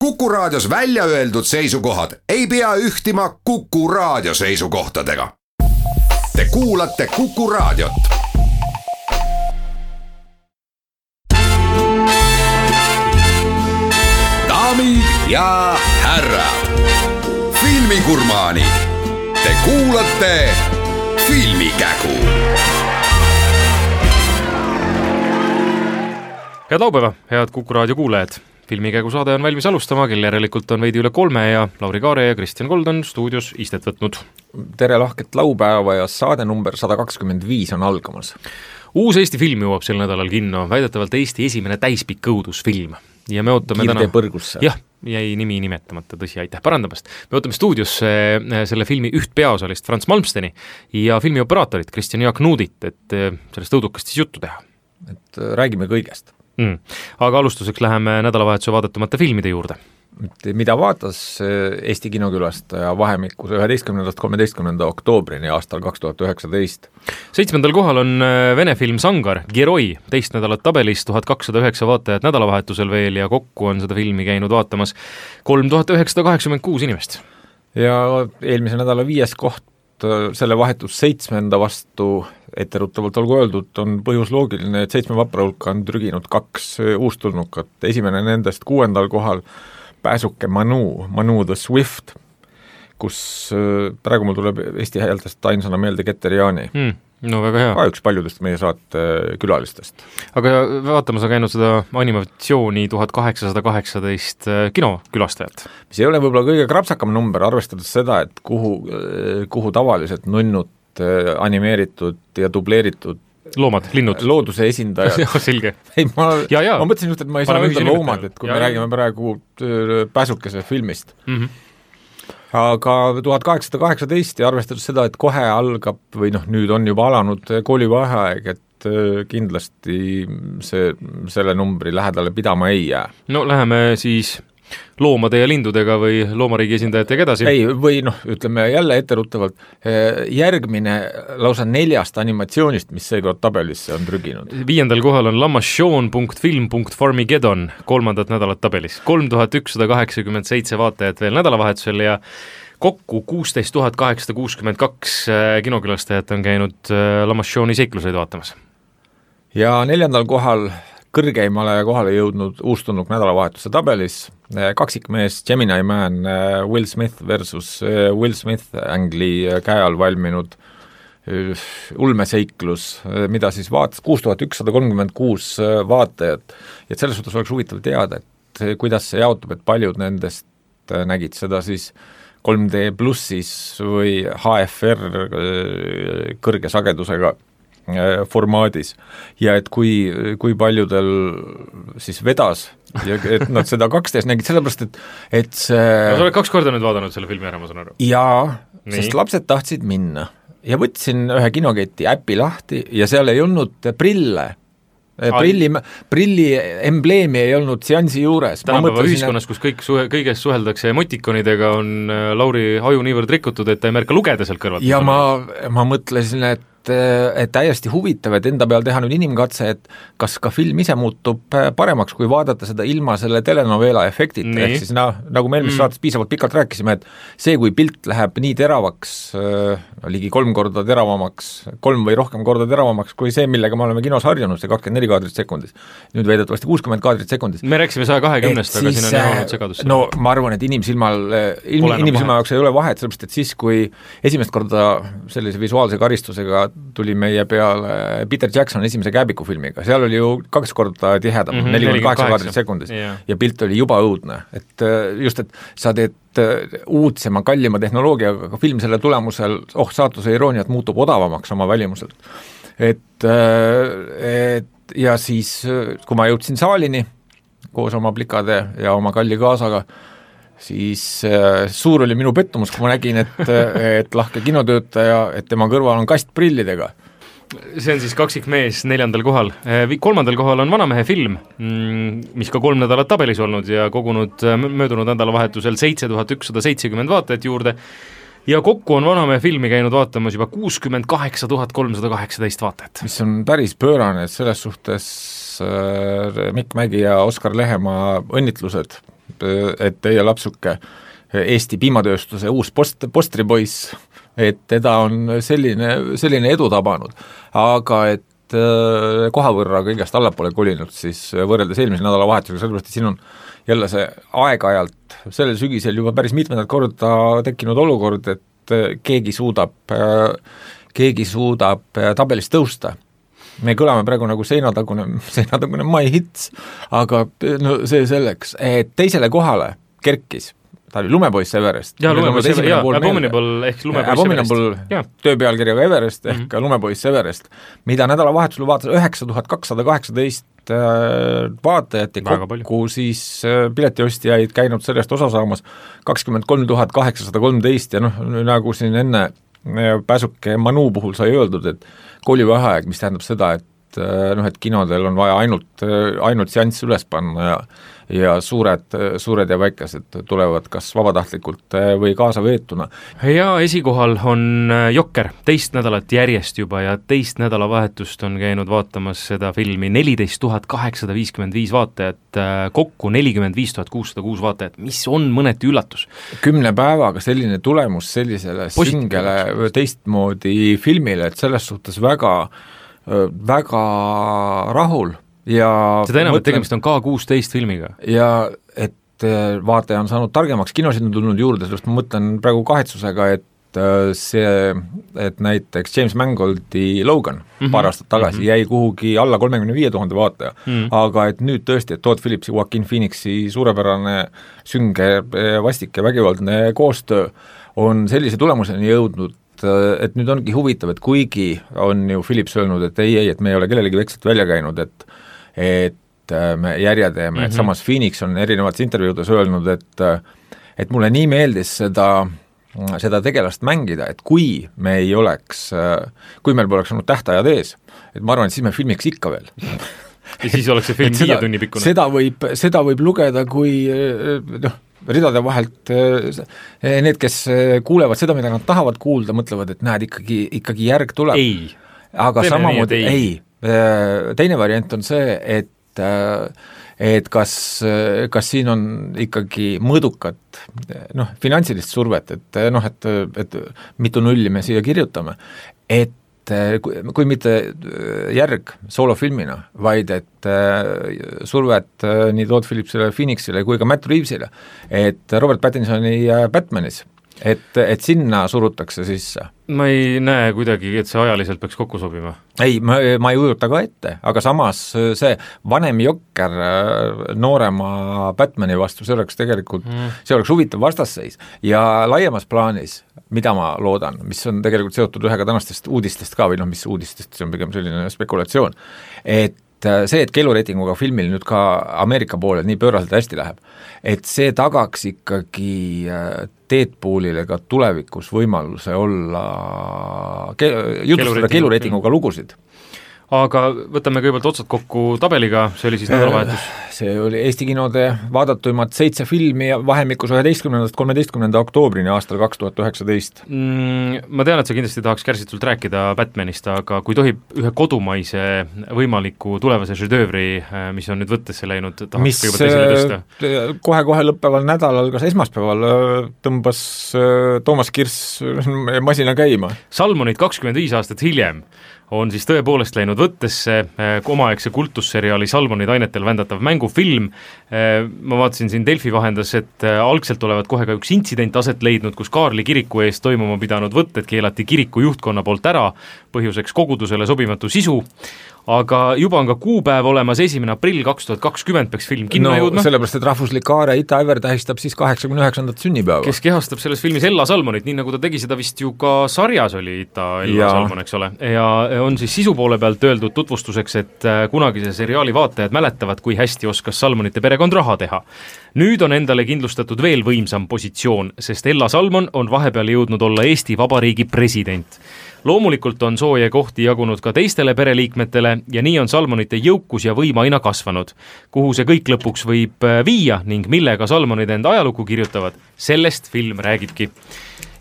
Kuku Raadios välja öeldud seisukohad ei pea ühtima Kuku Raadio seisukohtadega. Te kuulate Kuku Raadiot. Daamid ja härrad, filmigurmaanid, te kuulate Filmikägu. Head laupäeva, head Kuku Raadio kuulajad. Filmikägu saade on valmis alustama, kel järelikult on veidi üle 3 ja Lauri Kaare ja Kristjan Kold on stuudios istet võtnud. Tere lahket laupäeva ja saade number 125 on algamas. Uus Eesti film jõuab sel nädalal kinno, väidetavalt Eesti esimene täispikk õudusfilm. Ja me ootame Kiirtee põrgusse. Jah, jäi nimi nimetamata, tõsi, aitäh parandamast. Me ootame stuudios selle filmi üht peaosalist Frans Malmsteni ja filmi operaatorit Kristjan Jaak Nuudit, et sellest õudukast siis juttu teha. Et räägime kõigest. Aga alustuseks läheme nädalavahetuse vaadatumate filmide juurde. Mida vaatas Eesti kinokülastaja vahemikus 11.–13. oktoobrini aastal 2019? 7. kohal on vene film Sangar, Geroi, teist nädalat tabelis, 1209 vaatajat nädalavahetusel veel ja kokku on seda filmi käinud vaatamas 3986 inimest. Ja eelmise nädala 5. koht selle vahetus 7. vastu etteruttavalt olgu öeldud, on põhjus loogiline, et 7 vapra hulka on trüginud 2 uustulnukat. Esimene nendest 6. kohal pääsuke Manu the Swift, kus praegu mul tuleb Eesti häältest ainsana meelde Keter-Jaani. No väga hea. Ka üks paljudest meie saate külalistest. Aga vaatama sa käinud seda animatsiooni 1818 kinokülastajat. Mis ei ole võib-olla kõige krapsakam number, arvestades seda, et kuhu tavaliselt nunnud animeeritud ja dubleeritud loomad, linnud. Looduse esindajad. Selge. Ei, ma mõtlesin just, et ma ei saa öelda loomad, et kui me räägime praegu pääsukese filmist. Aga 1818 ja arvestades seda, et kohe algab või nüüd on juba alanud koolivaheaeg, et kindlasti selle numbri lähedale pidama ei jää. No läheme siis loomade ja lindudega või loomariigi esindajatega edasi. Ei, või ütleme jälle etteruttavalt, järgmine lausa 4 animatsioonist, mis seekord tabelisse on trüginud. 5. kohal on Lamashon.film.farmigedon, 3. nädalat tabelis. 3187 vaatajat veel nädalavahetusel ja kokku 16 862 kinokülastajat on käinud Lamashoni seikluseid vaatamas. Ja 4. kohal kõrgeimale kohale jõudnud uustulnuk nädalavahetuse tabelis, kaksikmees Gemini Man Will Smith versus Will Smith Angli käe all valminud ulmeseiklus, mida siis vaatas 6136 vaatajat. Ja selles suhtes oleks huvitav teada, et kuidas see jaotub, et paljud nendest nägid seda siis 3D plussis või HFR kõrge sagedusega formaadis ja et kui paljudel siis vedas ja et nad seda 2D nägid, sellepärast et see... Sa oled 2 korda nüüd vaadanud selle filmi ära, ma saan aru. Jaa, sest lapsed tahtsid minna ja võtsin ühe kinoketi äppi lahti ja seal ei olnud prille. Prilli embleemi ei olnud seansi juures. Tänapäeva ühiskonnas, kus kõigest suheldakse emotikonidega, on Lauri haju niivõrd rikutud, et ta ei märka lugeda sealt kõrvalt. Ja ma mõtlesin, et täiesti huvitav, et enda peal teha nüüd inimkatse, et kas ka film ise muutub paremaks, kui vaadata seda ilma selle telenovela efektita, ehk siis nagu me eelmises saates piisavalt pikalt rääkisime, et see, kui pilt läheb nii teravaks, ligi 3 korda teravamaks, 3 või rohkem korda teravamaks, kui see, millega me oleme kinos harjunud, see 24 kaadrit sekundis, nüüd väidetavasti 60 kaadrit sekundis. Me rääkisime 120-st, aga siin on jäänud segadus. No ma arvan, et inimsilma jaoks ei ole vahet, sellepärast, et siis, kui esimest korda sellise visuaalse karistusega tuli meie peale Peter Jackson esimese Kääbiku filmiga, seal oli ju 2 korda tihedam, 48 kaadrit sekundis ja pilt oli juba õudne, et just, et sa teed uudsema, kallima tehnoloogiaga, aga film selle tulemusel, saatuse irooniat muutub odavamaks oma välimuselt. Et ja siis, kui ma jõudsin saalini koos oma plikade ja oma kalli kaasaga, siis suur oli minu pettumus, kui ma nägin, et lahke kinotöötaja, et tema kõrval on kast prillidega. See on siis kaksikmees 4. kohal. 3. kohal on Vanamehe film, mis ka 3 nädalat tabelis olnud ja kogunud möödunud nädalavahetusel 7170 vaatajat juurde. Ja kokku on Vanamehe filmi käinud vaatamas juba 68 318 vaatajat. Mis on päris pöörane, et selles suhtes Mikk Mägi ja Oskar Lehemaa õnnitlused et teie lapsuke Eesti piimatööstuse uus postripoiss, et teda on selline edu tabanud, aga et koha võrra kõigest allapoole kolinud siis võrreldes eelmise nädalavahetusega, sellepärast et siin on jälle see aeg-ajalt sellel sügisel juba päris mitmendat korda tekkinud olukord, et keegi suudab tabelist tõusta. Me kõlame praegu nagu seinatagune My Hits, aga no see selleks, et teisele kohale kerkis, ta oli Lumepoiss Everest. Jaa, Lumepoiss Everest, Abominable ehk Lumepoiss Everest. Tööpealkirjaga Everest ehk Lumepoiss Everest, mida nädalavahetusel vaatas 9218 vaatajat ja kokku siis piletiostjaid käinud sellest osa saamas 23 813 ja noh, nagu siin enne pääsuke Manu puhul sai öeldud, et koolivaheaeg, mis tähendab seda, et kinodel on vaja ainult seanss üles panna ja suured ja väikesed tulevad kas vabatahtlikult või kaasaveetuna. Ja esikohal on Jokker, teist nädalat järjest juba ja teist nädalavahetust on käinud vaatamas seda filmi 14 855 vaatajat, kokku 45 606 vaatajat, mis on mõneti üllatus. 10 päevaga selline tulemus sellisele singele teistmoodi filmile, et selles suhtes väga rahul ja seda enam, et tegemist on K16 filmiga. Ja et vaataja on saanud targemaks, kinosid on tulnud juurde, sellest ma mõtlen praegu kahetsusega, et näiteks James Mangoldi Logan paar aastat tagasi jäi kuhugi alla 35 000 vaataja, aga et nüüd tõesti, et Todd Phillipsi, Joaquin Phoenixi suurepärane sünge, vastik ja vägivaldne koostöö on sellise tulemuseni jõudnud, et nüüd ongi huvitav, et kuigi on ju Phillips öelnud, et ei, et me ei ole kellelegi vekslit välja käinud, et me järje teeme, et samas Phoenix on erinevates intervjuudes öelnud, et mulle nii meeldis seda tegelast mängida, et kui meil poleks olnud tähtajad ees, et ma arvan, et siis me filmiks ikka veel. Ja siis oleks see film 5 tunni pikkune. Seda võib lugeda kui ridade vahelt need, kes kuulevad seda, mida nad tahavad kuulda, mõtlevad, et näed, ikkagi järg tuleb. Ei. Aga samamoodi ei. Teine variant on see, et kas siin on ikkagi mõõdukat finantsilist survet, et mitu nulli me siia kirjutame, et kui mitte järg soolofilmina, vaid et survet nii Todd Phillipsile, Phoenixile kui ka Matt Reevesile, et Robert Pattinsoni Batmanis, et sinna surutakse sisse. Ma ei näe kuidagi, et see ajaliselt peaks kokku sobima. Ei, ma ei ujuta ka ette, aga samas see vanem Jokker noorema Batmani vastu, see oleks tegelikult, see oleks huvitav vastasseis ja laiemas plaanis, mida ma loodan, mis on tegelikult seotud ühega tänastest uudistest ka, või mis uudistest, see on pigem selline spekulatsioon, et see, et keelureitinguga filmil nüüd ka Ameerika poole nii pööraselt hästi läheb, et see tagaks ikkagi Deadpoolile ka tulevikus võimaluse olla jutustada keelureitinguga lugusid. Aga võtame kõigepealt otsad kokku tabeliga, see oli siis nädalavahetus. See oli Eesti kinode vaadatuimad 7 filmi vahemikus 11.–13. oktoobrini aastal 2019. Ma tean, et sa kindlasti tahaks kärsitult rääkida Batmanist, aga kui tohib ühe kodumaise võimaliku tulevase žedöövri, mis on nüüd võttesse läinud, tahaks kõigepealt esile tõsta. Kohe lõppeval nädalal, kas esmaspäeval, tõmbas Toomas Kirss masina käima. Salmonid 25 aastat hiljem on siis tõepoolest läinud võttesse omaaegse kultusseriaali Salmonid ainetel vändatav mängufilm. Ma vaatasin siin Delfi vahendas, et algselt olevat kohe ka üks intsident aset leidnud, kus Kaarli kiriku eest toimuma pidanud võtted keelati kiriku juhtkonna poolt ära, põhjuseks kogudusele sobimatu sisu, aga juba on ka kuupäev olemas, 1. aprill 2020 peaks film kinno jõudma. Sellepärast, et rahvuslik aare Ita Ever tähistab siis 89. sünnipäeva. Kes kehastab selles filmis Ella Salmonit, nii nagu ta tegi seda vist ju ka sarjas oli Ella Salmon, eks ole. Ja on siis sisu poole pealt öeldud tutvustuseks, et kunagise seriaali vaatajad mäletavad, kui hästi oskas Salmonite perekond raha teha. Nüüd on endale kindlustatud veel võimsam positsioon, sest Ella Salmon on vahepeal jõudnud olla Eesti Vabariigi president. Loomulikult on sooje kohti jagunud ka teistele pereliikmetele ja nii on Salmonite jõukus ja võim aina kasvanud. Kuhu see kõik lõpuks võib viia ning millega Salmonid enda ajalugu kirjutavad, sellest film räägibki.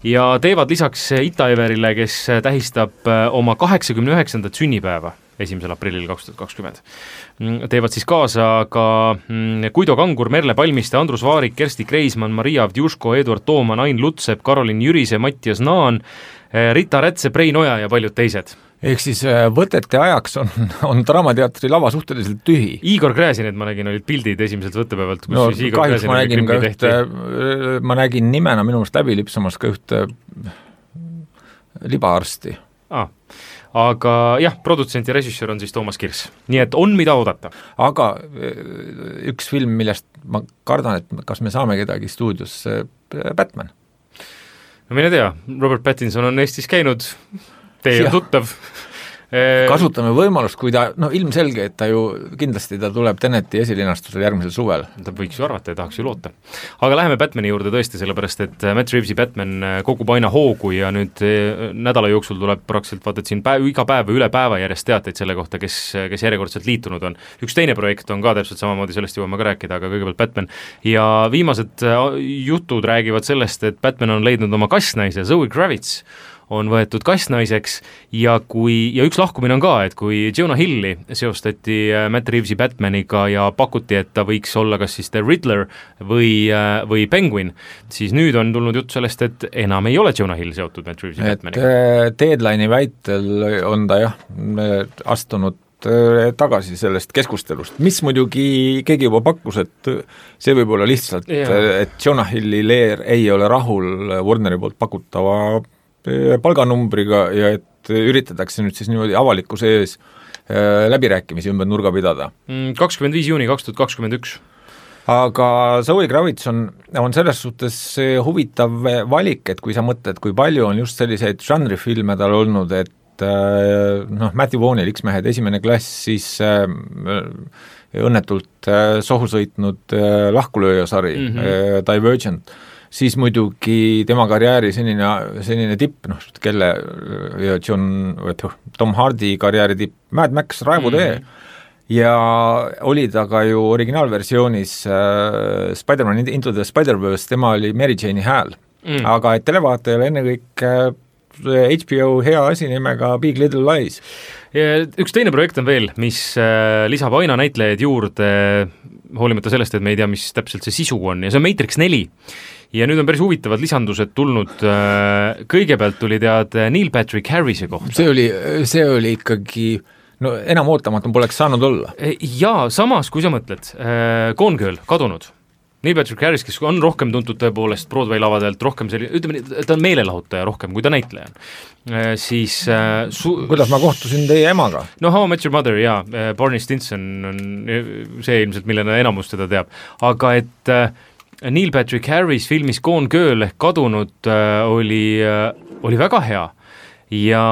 Ja teevad lisaks Ita Everile, kes tähistab oma 89. sünnipäeva. 1. aprillil 2020. Teevad siis kaasa ka Guido Kangur, Merle Palmiste, Andrus Vaarik, Kersti Kreismann, Maria Avdjuško, Eduard Tooman, Ain Lutsep, Karolin Jürise, Mattias Naan, Rita Rätse, Prein Oja ja paljud teised. Ehk siis võtete ajaks on Draamateatri lava suhteliselt tühi. Igor Gräzinit ma nägin, olid pildid esimeselt võttepäevalt, kus no, siis Igor Gräzinit tehti. Ma nägin nimena minu meelest läbi lipsamas ka ühte libaarsti. Aga jah, produtsent ja režissöör on siis Toomas Kirs. Nii et on mida oodata. Aga üks film, millest ma kardan, et kas me saame kedagi stuudios, Batman. No mine tea, Robert Pattinson on Eestis käinud, teie on tuttav. Kasutame võimalust, kui ta, ilmselge, et ta ju kindlasti ta tuleb Teneti esilinastusel järgmisel suvel. Ta võiks ju arvata ja tahaks ju loota. Aga läheme Batmani juurde tõesti, sellepärast et Matt Reevesi Batman kogub aina hoogu ja nüüd nädala jooksul tuleb praktiliselt vaata, et siin iga päev või üle päeva järjest teateid selle kohta, kes järjekordselt liitunud on. Üks teine projekt on ka täpselt samamoodi, sellest jõuame ka rääkida, aga kõigepealt Batman. Ja viimased jutud räägivad sellest, et Batman on leidnud oma kassnaise, Zoe Kravitz on võetud kassnaiseks ja üks lahkumine on ka, et kui Jonah Hilli seostati Matt Reevesi Batmaniga ja pakuti, et ta võiks olla kas siis The Riddler või Penguin, siis nüüd on tulnud jutt sellest, et enam ei ole Jonah Hill seotud Matt Reevesi Batmaniga. Deadline'i väitel on ta astunud tagasi sellest keskustelust, mis muidugi keegi juba pakkus, et see võib olla lihtsalt, et Jonah Hilli leer ei ole rahul Warneri poolt pakutava palganumbriga ja et üritatakse nüüd siis niimoodi avalikkuse ees läbirääkimisi ümber nurga pidada. 25. juuni 2021. Aga Zoe Kravitz on selles suhtes huvitav valik, et kui sa mõtled, kui palju on just selliseid žanrifilme tal olnud, et Matthew Vaughnil X-mehed esimene klass, siis õnnetult sohu sõitnud lahkulööjasari Divergent, siis muidugi tema karjääri senine tipp, kelle Tom Hardy karjääri tipp, Mad Max, Raevutee, ja oli ta ka ju originaalversioonis Spider-Man Into the Spider-Verse, tema oli Mary Jane'i hääl. Aga et televaatajale enne kõik HBO hea asi nimega Big Little Lies. Ja üks teine projekt on veel, mis lisab aina näitlejaid juurde, hoolimata sellest, et me ei tea, mis täpselt see sisu on, ja see on Matrix 4. Ja nüüd on päris huvitavad lisandused tulnud, kõigepealt tuli tead Neil Patrick Harrise kohta. See oli ikkagi, enam ootamatum poleks saanud olla. Ja samas, kui sa mõtled, Gone Girl, kadunud. Neil Patrick Harris, kes on rohkem tuntud tõepoolest Broadway lavadelt, rohkem ütleme, ta on meelelahutaja rohkem, kui ta näitleja on. Siis kuidas ma kohtusin teie emaga? How I Met Your Mother, jaa, Barney Stinson on see ilmselt, millena enamus teda teab. Aga et Neil Patrick Harris filmis Gone Girl ehk kadunud oli väga hea ja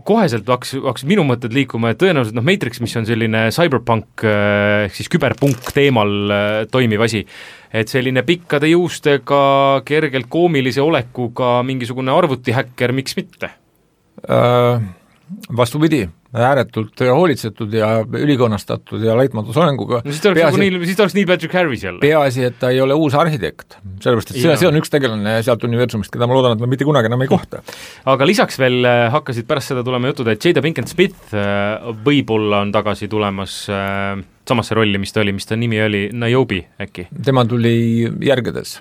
koheselt hakkas minu mõtted liikuma, et tõenäoliselt Matrix, mis on selline cyberpunk ehk siis küberpunk teemal toimiv asi, et selline pikkade juustega, kergelt koomilise olekuga mingisugune arvutihäkker, miks mitte? Vastupidi, ääretult hoolitsetud ja ülikonnastatud ja laitmatu soenguga. No, siis ta oleks Neil Patrick Harris jälle. Peaasi, et ta ei ole uus arhitekt, sellepärast, et see on üks tegelane sealt universumist, keda ma loodan, et ma mitte kunagi enam ei kohta. Aga lisaks veel hakkasid pärast seda tulema jutud, et Jada Pinkett Smith võib-olla on tagasi tulemas samasse rolli, mis ta nimi oli, Niobe äkki. Tema tuli järgedes.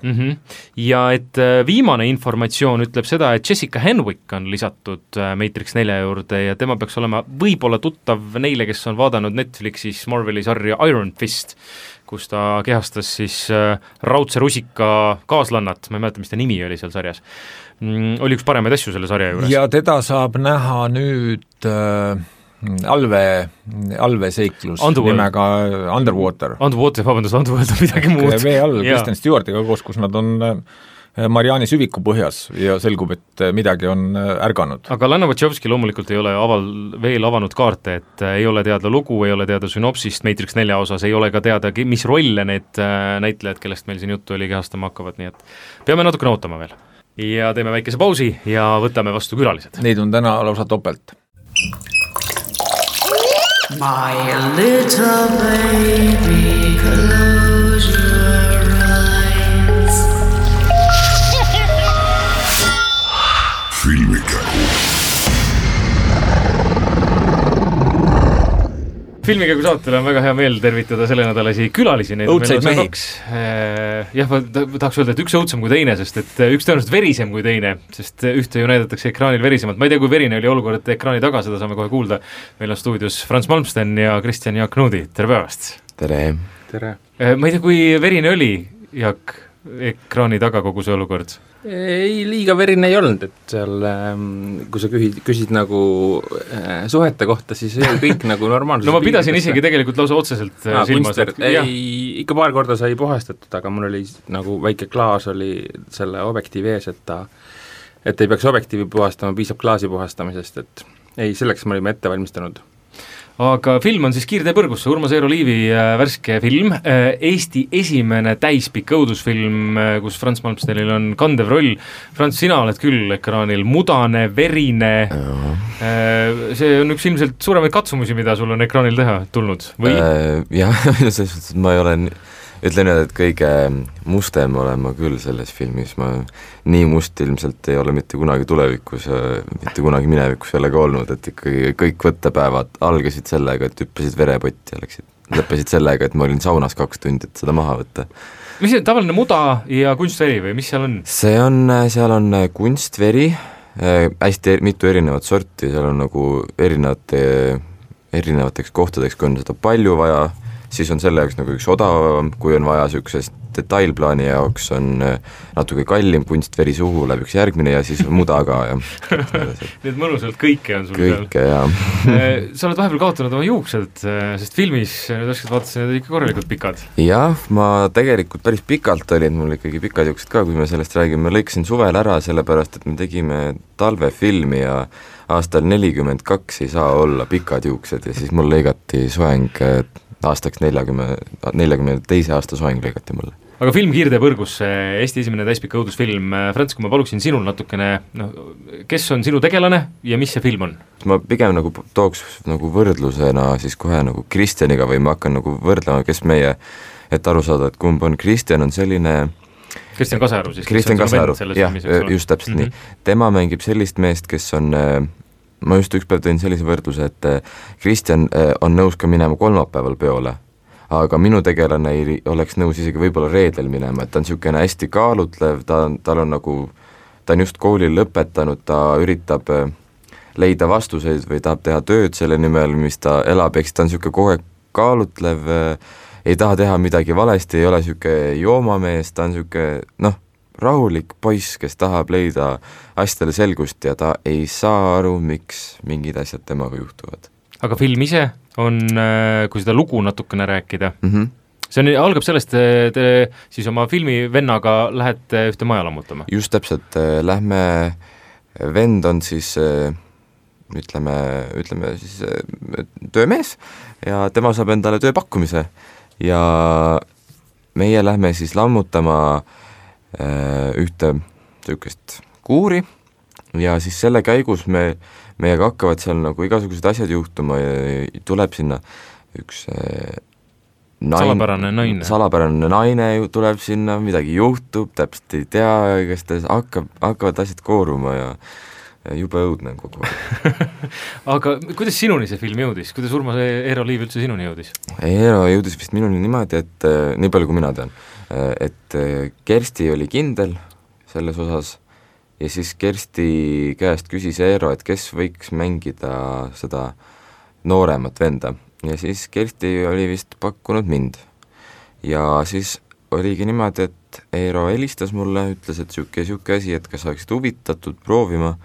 Ja et viimane informatsioon ütleb seda, et Jessica Henwick on lisatud Matrix 4 juurde ja tema peaks olema võib-olla tuttav neile, kes on vaadanud Netflixis Marveli sarja Iron Fist, kus ta kehastas siis raudse rusika kaaslannat, ma ei mäleta, mis ta nimi oli seal sarjas. Oli üks paremaid asju selle sarja juures. Ja teda saab näha nüüd allveseiklus nimega Underwater. Underwater on midagi muud. Vee all Kristen Stewartiga koos, kus nad on Mariani süviku põhjas ja selgub, et midagi on ärganud. Aga Lana Wachowski loomulikult ei ole veel avanud kaarte, et ei ole teada lugu, ei ole teada synopsist Matrix 4 osas, ei ole ka teada, mis rolle need näitlejad, kellest meil siin juttu oli, kehastama hakkavad, nii et peame natukene ootama veel. Ja teeme väikese pausi ja võtame vastu külalised. Neid on täna lausa topelt. My little baby, close your eyes. filmikäigu saatele on väga hea meel tervitada selle nädalasi külalisi. Õudseid mehi. Jah, ma tahaks öelda, et üks õudsem kui teine, sest et üks tõenäoliselt verisem kui teine, sest ühte ju näidatakse ekraanil verisemalt. Ma ei tea, kui verine oli olukord ekraani taga, seda saame kohe kuulda. Meil on stuudios Frans Malmsten ja Kristjan Jaak Nuudi. Tere päevast! Tere! Ma ei tea, kui verine oli, Jaak, ekraani taga kogu see olukord? Ei, liiga verine ei olnud, et seal, kui sa küsid nagu suhete kohta, siis ei kõik nagu normaalsus. No ma pidasin isegi tegelikult lausa otseselt silmas. Ikka paar korda sai puhastatud, aga mul oli nagu väike klaas oli selle objektiivi ees, et ei peaks objektiivi puhastama, piisab klaasi puhastamisest, et ei, selleks me olime ette valmistanud. Aga film on siis Kiirtee põrgusse, Urmas Eero Liivi värske film, Eesti esimene täispikk õudusfilm, kus Frans Malmstenil on kandev roll. Frans, sina oled küll ekraanil mudane, verine, see on üks ilmselt suuremaid katsumusi, mida sul on ekraanil teha tulnud, või? Jah, ma ei ole, ütlen nüüd, et kõige mustem olen ma küll selles filmis, ma nii must ilmselt ei ole mitte kunagi tulevikus, mitte kunagi minevikus jällegi olnud, et ikkagi kõik võttepäevad algasid sellega, et hüppasid verepotti ja lõppesid sellega, et ma olin saunas 2 tundi, et seda maha võtta. Mis see tavaline muda ja kunstveri või mis seal on? Seal on kunstveri, hästi mitu erinevat sorti, seal on nagu erinevateks kohtadeks, kui on seda palju vaja, siis on selle jaoks nagu üks odavam, kui on vaja niisugusest detailplaani jaoks on natuke kallim kunstveri suhu, läheb üks järgmine ja siis muda ka ja nii et mõnusalt kõike on sul kõike, seal. Sa oled vahepeal kaotanud oma juuksed, sest filmis nüüd oskad vaatasin, need ikka korralikult pikad. Jah, ma tegelikult päris pikalt olin, mul ikkagi pikad juuksed ka, kui me sellest räägime, ma lõikasin suvel ära, sellepärast et me tegime talvefilmi ja aastal 42 ei saa olla pikad juuksed ja siis mul lõigati soeng aastaks 42 aasta soeng lõigati mulle. Aga film Kiirtee põrgusse, Eesti esimene täispikk õudusfilm. Frans, kui ma paluksin sinul natukene, kes on sinu tegelane ja mis see film on? Ma pigem nagu tooks nagu võrdlusena siis kohe nagu Kristjaniga või ma hakkan nagu võrdlema, kes meie, et aru saada, et kumb on. Kristjan on selline Kristjan Kasearu siis. Kristjan Kasearu, jah, just täpselt nii. Tema mängib sellist meest, kes on ma just ükspäev tõin sellise võrdluse, et Kristjan on nõus ka minema kolmapäeval peole, aga minu tegelane ei oleks nõus isegi võib-olla reedel minema, et ta on niisugune hästi kaalutlev, tal on nagu, ta on just kooli lõpetanud, ta üritab leida vastuseid või tahab teha tööd selle nimel, mis ta elab, eks ta on niisugune kogu aeg kaalutlev, ei taha teha midagi valesti, ei ole niisugune joomamees, ta on niisugune, rahulik poiss, kes tahab leida asjadele selgust ja ta ei saa aru, miks mingid asjad temaga juhtuvad. Aga film ise on, kui seda lugu natukene rääkida, see on, algab sellest, te siis oma filmivennaga lähete ühte maja lammutama? Just täpselt, lähme, vend on siis, ütleme siis töömees ja tema saab endale tööpakkumise ja meie lähme siis lammutama ühte niisugust kuuri ja siis selle käigus meiega hakkavad seal nagu igasugused asjad juhtuma ja tuleb sinna üks salapärane naine tuleb sinna, midagi juhtub, täpselt ei tea, kes ta hakkavad asjad kooruma ja jube õudne kogu aeg. Aga kuidas sinuni see film jõudis? Kuidas Urmas Eero Liiv üldse sinuni jõudis? Eero jõudis vist minuni niimoodi, et nii palju kui mina tean, et Kersti oli kindel selles osas ja siis Kersti käest küsis Eero, et kes võiks mängida seda nooremat venda ja siis Kersti oli vist pakkunud mind ja siis oligi niimoodi, et Eero helistas mulle, ütles, et siuke asi, et kas oleksid huvitatud proovima,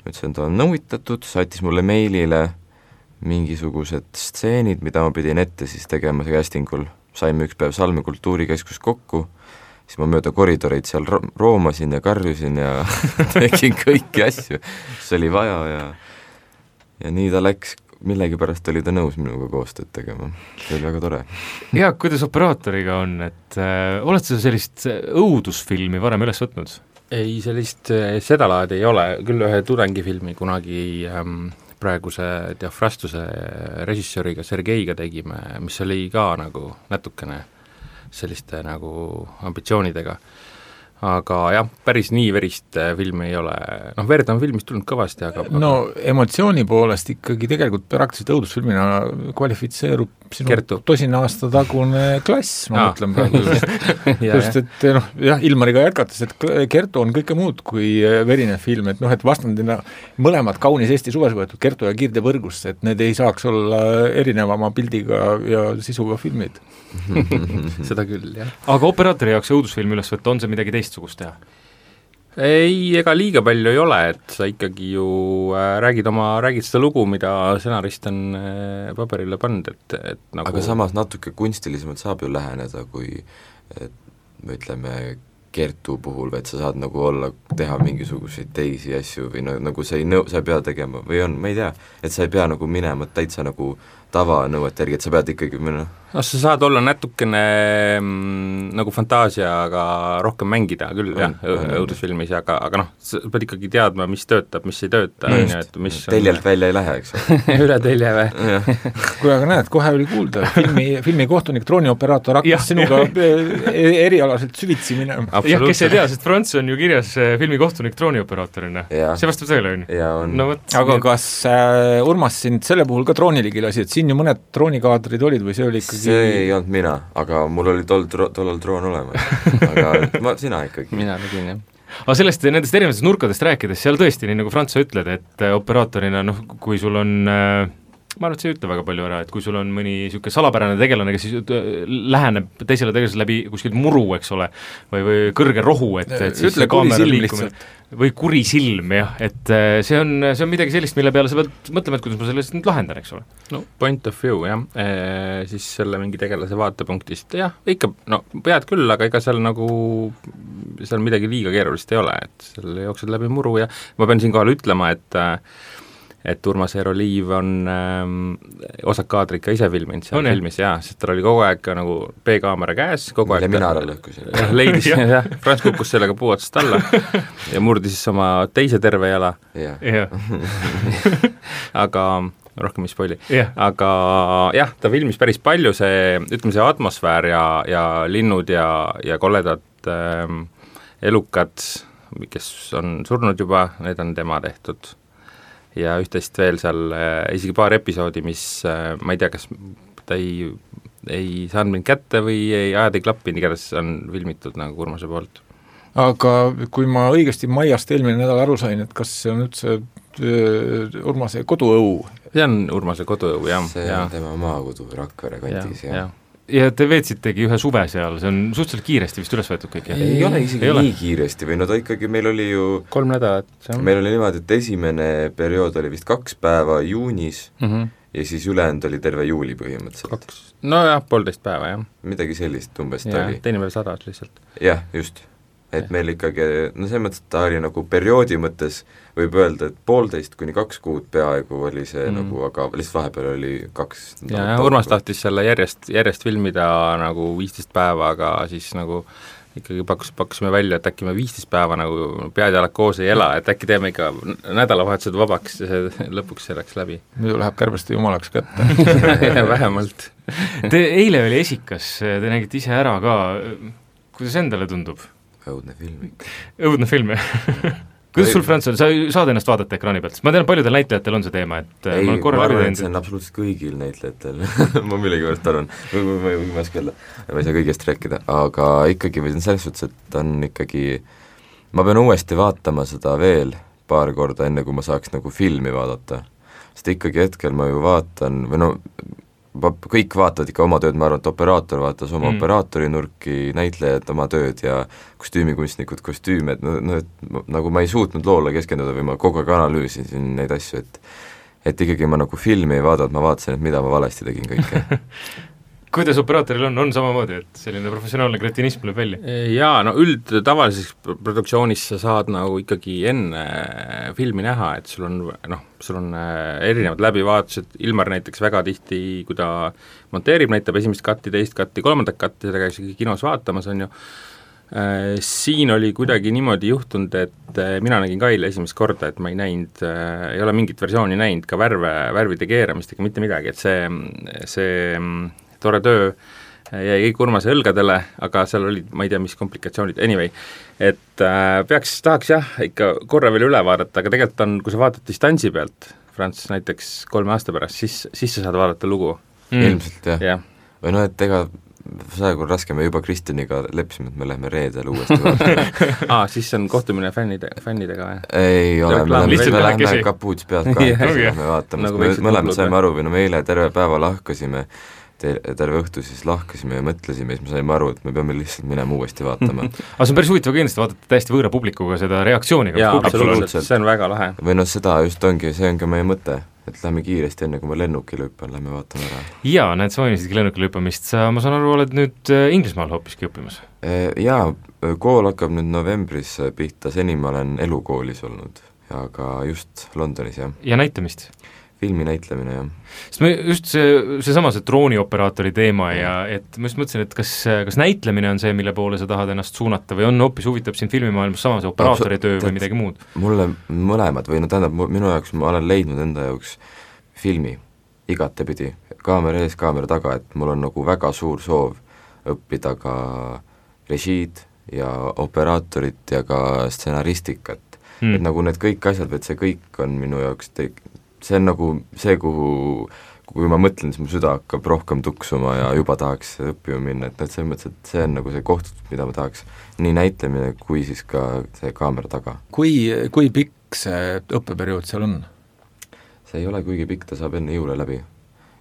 ütlesin, et olen nõuitatud, saatis mulle meilile mingisugused stseenid, mida ma pidin ette siis tegema castingul, saime üks päev Salme kultuurikeskus kokku, siis ma mööda koridoreid seal roomasin ja karjusin ja tegin kõiki asju, mis oli vaja ja nii ta läks, millegipärast oli ta nõus minuga koostööd tegema, see oli väga tore. Jaak, kuidas operaatoriga on, et oled sa sellist õudusfilmi varem üles võtnud? Ei, sellist sedalaadi ei ole, küll ühe tudengifilmi kunagi praeguse Diafrastuse režissööriga Sergeiga tegime, mis oli ka nagu natukene selliste nagu ambitsioonidega. aga jah, päris nii verist filmi ei ole, noh, verd on filmist tulnud kõvasti, aga no emotsiooni poolest ikkagi tegelikult praktiliselt õudusfilmina kvalifitseerub sinu tosina aasta tagune Klass, ma mõtlen praegu just, et noh, jah, Ilmariga jätkates, et Kertu on kõike muud kui verine film, et noh, et vastandina mõlemad kaunis Eesti suves võetud Kertu ja Kiirde võrgusse, et need ei saaks olla erinevama pildiga ja sisuga filmid. Seda küll, jah. Aga operaatori jaoks õudusfilmi üles võtta, on see midagi teistsugust teha? Ei, ega liiga palju ei ole, et sa ikkagi ju räägid seda lugu, mida stsenarist on paberile pannud, et nagu aga samas natuke kunstilisemalt saab ju läheneda, kui ütleme Kertu puhul, et sa saad nagu teha mingisuguseid teisi asju või nagu sa ei pea tegema või on, ma ei tea, et sa ei pea nagu minema täitsa nagu tavanõuete järgi, et sa pead ikkagi sa saad olla natukene nagu fantaasiaga rohkem mängida küll, jah, õudusfilmis, aga noh, sa pead ikkagi teadma, mis töötab, mis ei tööta, et mis teljelt välja ei lähe, eks ole. üle telje või? Kui aga näed, kohe oli kuulda, filmi kohtunik, droonioperaator hakkas sinuga erialaselt süvitsi minema. Jah, kes ei tea, sest Franz on ju kirjas filmi kohtunik droonioperaatorina. See vastab tõele, on? Aga kas Urmas sind selle puhul ka drooniligi lasi, et siin ju mõned droonikaadrid olid või see oli ikkagi see ei olnud mina, aga mul oli tollal droon olemas, aga sina ikkagi. Mina tegin, jah. Aga nendest erinevatest nurkadest rääkides, seal tõesti, nii nagu Franz sa ütled, et operaatorina, noh, kui sul on ma arvan, et see ei ütle väga palju ära, et kui sul on mõni niisugune salapärane tegelane, kes siis läheneb teisele tegelasele läbi kuskilt muru, eks ole, või kõrge rohu, et siis ütle kuri silm lihtsalt. Või kuri silm, jah, et see on midagi sellist, mille peale sa pead mõtlema, et kuidas ma sellest nüüd lahendan, eks ole. No point of view, jah, siis selle mingi tegelase vaatepunktist, jah, ikka, no pead küll, aga ega seal nagu, seal midagi liiga keerulist ei ole, et seal jooksed läbi muru ja ma pean siinkohal ütlema, et Urmas Eero Liiv on osad kaadrid ka ise filminud seal filmis, jaa, sest tal oli kogu aeg nagu B-kaamera käes, kogu aeg mina ära lõhkusin. Leidis, jah, Frans kukkus sellega puu otsast alla ja murdis oma teise terve jala. Aga rohkem ei spoili. Aga jah, ta filmis päris palju, see atmosfäär ja linnud ja koledad elukad, kes on surnud juba, need on tema tehtud. Ja üht-teist veel seal isegi paar episoodi, mis ma ei tea, kas ta ei saanud mind kätte või ajad ei klappi, igatahes on filmitud nagu Urmase poolt. Aga kui ma õigesti Maiast eelmine nädal aru sain, et kas see on üldse Urmase koduõu? See on Urmase koduõu, jah. See on tema maakodu Rakvere kandis, jah. Ja te veetsitegi ühe suve seal, see on suhteliselt kiiresti vist üles võetud kõik, jah? Ei ole isegi nii kiiresti või no ta ikkagi, meil oli ju 3 nädalat. Meil oli niimoodi, et esimene periood oli vist 2 päeva juunis ja siis ülejäänud oli terve juuli põhimõtteliselt. No jah, 1,5 päeva, jah. Midagi sellist umbes ta oli. Teine veel 100 lihtsalt. Jah, just. Et meil ikkagi, no see mõttes, ta oli nagu perioodi mõttes, võib öelda, et 1,5 kuni 2 kuud peaaegu oli see nagu, aga lihtsalt vahepeal oli 2 ja Urmas tahtis selle järjest filmida nagu 15 päeva, aga siis nagu ikkagi pakkusime välja, et äkki me 15 päeva nagu pead-jalad koos ei ela, et äkki teeme ikka nädalavahetused vabaks ja see lõpuks see läks läbi. Muidu läheb kärbeste jumalaks kätte. Vähemalt. Eile oli Esikas, te nägite ise ära ka, kuidas endale tundub? Õudne film ikka. Õudne film, jah. Kuidas sul, Franz, sa saad ennast vaadata ekraani pealt? Ma tean, paljudel näitlejatel on see teema, et ei, ma arvan, et see on absoluutselt kõigil näitlejatel ma millegipärast arvan, ma ei oska öelda, ma ei saa kõigest rääkida, aga ikkagi või selles suhtes, et on ikkagi, ma pean uuesti vaatama seda veel paar korda, enne kui ma saaks nagu filmi vaadata, sest ikkagi hetkel ma ju vaatan, või no kõik vaatavad ikka oma tööd, ma arvan, et operaator vaatas oma operaatori nurki, näitlejad oma tööd ja kostüümikunstnikud kostüüme, et nagu ma ei suutnud loole keskenduda või ma kogu aeg analüüsisin neid asju, et ikkagi ma nagu filmi ei vaadanud, ma vaatasin, et mida ma valesti tegin kõike. Kuidas operaatoril on samamoodi, et selline professionaalne kretinism tuleb välja? Jaa, no tavalises produktsioonis sa saad nagu ikkagi enne filmi näha, et sul on erinevad läbivaatused, Ilmar näiteks väga tihti, kui ta monteerib, näitab esimest katti, teist katti, 3. katti, seda käis kinos vaatamas, on ju, siin oli kuidagi niimoodi juhtunud, et mina nägin Kaile esimest korda, et ma ei näinud, ei ole mingit versiooni näinud, ka värvide keeramist ega mitte midagi, et see tore töö jäi kõik Urmase õlgadele, aga seal olid, ma ei tea, mis komplikatsioonid, anyway, et tahaks jah, ikka korra veel üle vaadata, aga tegelikult on, kui sa vaatad distantsi pealt, Franz näiteks 3 aasta pärast, siis sa saad vaadata lugu. Ilmselt jah. Või no, et ega praegu raske, me juba Kristjaniga leppisime, et me läheme reedel uuesti vaatama. Siis on kohtumine fännidega või? Ei ole, me läheme kapuuts pealt kahekesi vaatama, sest me mõlemad saime aru, või no me eile terve päeva lahkasime, terve õhtu siis lahkasime ja mõtlesime, siis me saime aru, et me peame lihtsalt minema uuesti vaatama. Aga see on päris huvitav kindlasti vaadata täiesti võõra publikuga seda reaktsiooniga. Jaa, absoluutselt, see on väga lahe. Või no seda just ongi, see on ka meie mõte, et lähme kiiresti enne, kui ma lennukile hüppan, lähme vaatame ära. Jaa, näed, sa mainisidki lennukile hüppamist, sa, ma saan aru, oled nüüd Inglismaal hoopiski õppimas? Jaa, kool hakkab nüüd novembris pihta, seni ma olen elukoolis olnud, aga just Londonis, jah. Ja näitamist? Filmi näitlemine, jah. Sest me just seesama see droonioperaatori teema ja et ma just mõtlesin, et kas näitlemine on see, mille poole sa tahad ennast suunata või on hoopis huvitab siin filmimaailmas sama see operaatori töö või midagi muud? Mulle mõlemad või no tähendab, minu jaoks ma olen leidnud enda jaoks filmi igatepidi, kaamera ees, kaamera taga, et mul on nagu väga suur soov õppida ka režiid ja operaatorit ja ka stsenaristikat, et nagu need kõik asjad, et see kõik on minu jaoks see on nagu see, kui ma mõtlen, siis mu süda hakkab rohkem tuksuma ja juba tahaks õppima minna, et selles mõttes, et see on nagu see koht, mida ma tahaks nii näitlemine kui siis ka see kaamera taga. Kui pikk see õppeperiood seal on? See ei ole kuigi pikk, ta saab enne jõule läbi.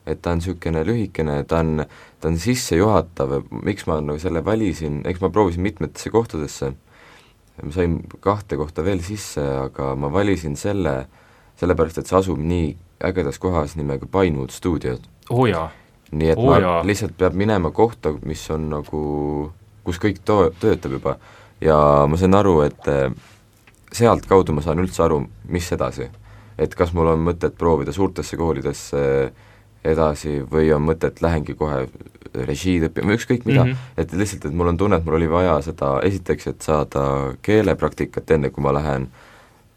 Et ta on niisugune lühikene, ta on sissejuhatav, miks ma nagu selle valisin, eks ma proovisin mitmetesse kohtadesse, ma sain 2 kohta veel sisse, aga ma valisin sellepärast, et see asub nii ägedas kohas nimega Pinewood Studios. Nii et ma lihtsalt peab minema kohta, mis on nagu, kus kõik töötab juba. Ja ma sain aru, et sealt kaudu ma saan üldse aru, mis edasi. Et kas mul on mõtet proovida suurtesse koolidesse edasi või on mõtet lähengi kohe režiid õppima, ükskõik mida. Et lihtsalt, et mul on tunne, et mul oli vaja seda esiteks, et saada keelepraktikat enne, kui ma lähen